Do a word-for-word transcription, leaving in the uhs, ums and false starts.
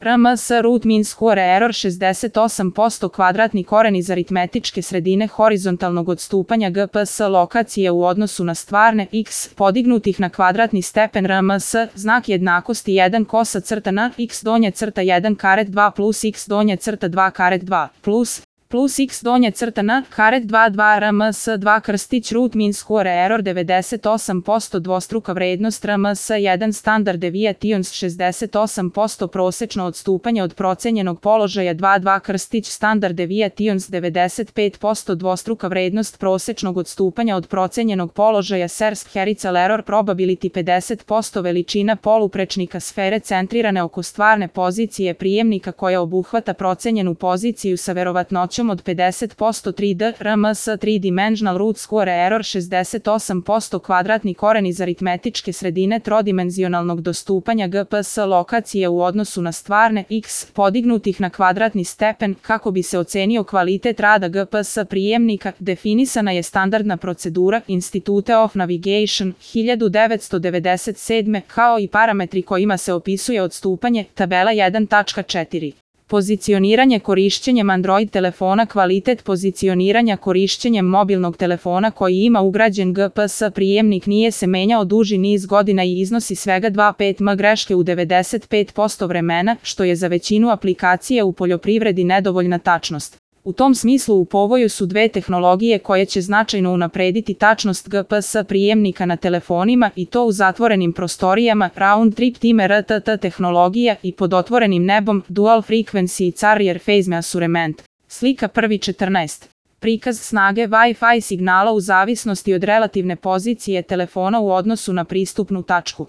R M S root mean square error šezdeset osam posto kvadratni koren iz aritmetičke sredine horizontalnog odstupanja G P S lokacije u odnosu na stvarne x podignutih na kvadratni stepen R M S, znak jednakosti jedan kosa crta na x donje crta jedan karet dva plus x donje crta dva karet dva plus plus x donje crta na karet dva dva R M S dva krstić root mean square error devedeset osam posto dvostruka vrednost R M S jedan standard deviations šezdeset osam posto prosečno odstupanje od procenjenog položaja dva dva krstić standard deviations devedeset pet posto dvostruka vrednost prosečnog odstupanja od procenjenog položaja Serst Herical error probability pedeset posto veličina poluprečnika sfere centrirane oko stvarne pozicije prijemnika koja obuhvata procenjenu poziciju sa verovatnoćom od pedeset posto tri D R M S tri dimensional root square error šezdeset osam posto kvadratni koren iz aritmetičke sredine trodimenzionalnog dostupanja G P S lokacije u odnosu na stvarne x podignutih na kvadratni stepen kako bi se ocenio kvalitet rada G P S prijemnika. Definisana je standardna procedura Institute of Navigation hiljadu devetsto devedeset sedme kao i parametri kojima se opisuje odstupanje. Tabela jedan tačka četiri. Pozicioniranje korišćenjem Android telefona. Kvalitet pozicioniranja korišćenjem mobilnog telefona koji ima ugrađen G P S prijemnik nije se menjao duži niz godina i iznosi svega dva zarez pet m greške u devedeset pet posto vremena, što je za većinu aplikacije u poljoprivredi nedovoljna tačnost. U tom smislu u povoju su dve tehnologije koje će značajno unaprediti tačnost G P S prijemnika na telefonima i to u zatvorenim prostorijama, round trip time R T T tehnologija i pod otvorenim nebom, dual frequency carrier phase measurement. Slika prvi četrnaest. Prikaz snage Wi-Fi signala u zavisnosti od relativne pozicije telefona u odnosu na pristupnu tačku.